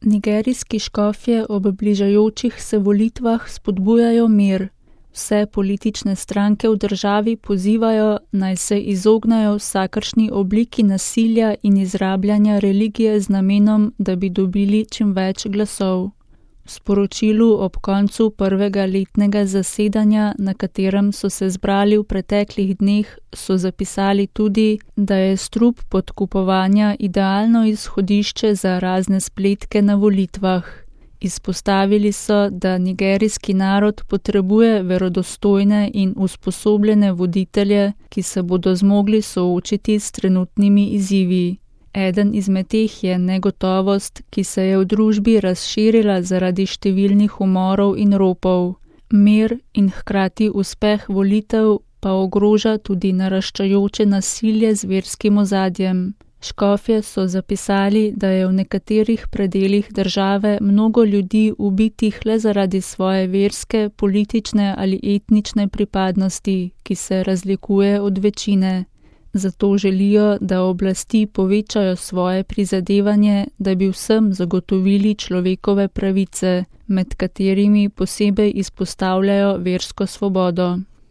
Nigerijski škofje ob bližajočih se volitvah spodbujajo mir. Vse politične stranke v državi pozivajo, naj se izognejo vsakršni obliki nasilja in izrabljanja religije z namenom, da bi dobili čim več glasov. V sporočilu ob koncu prvega letnega zasedanja, na katerem so se zbrali v preteklih dneh, so zapisali tudi, da je strup podkupovanja idealno izhodišče za razne spletke na volitvah. Izpostavili so, da nigerijski narod potrebuje verodostojne in usposobljene voditelje, ki se bodo zmogli soočiti s trenutnimi izzivi. Eden izmed teh je negotovost, ki se je v družbi razširila zaradi številnih umorov in ropov. Mir in hkrati uspeh volitev pa ogroža tudi naraščajoče nasilje z verskim ozadjem. Škofje so zapisali, da je v nekaterih predelih države mnogo ljudi ubitih le zaradi svoje verske, politične ali etnične pripadnosti, ki se razlikuje od večine. Zato želijo, da oblasti povečajo svoje prizadevanje, da bi vsem zagotovili človekove pravice, med katerimi posebej izpostavljajo versko svobodo.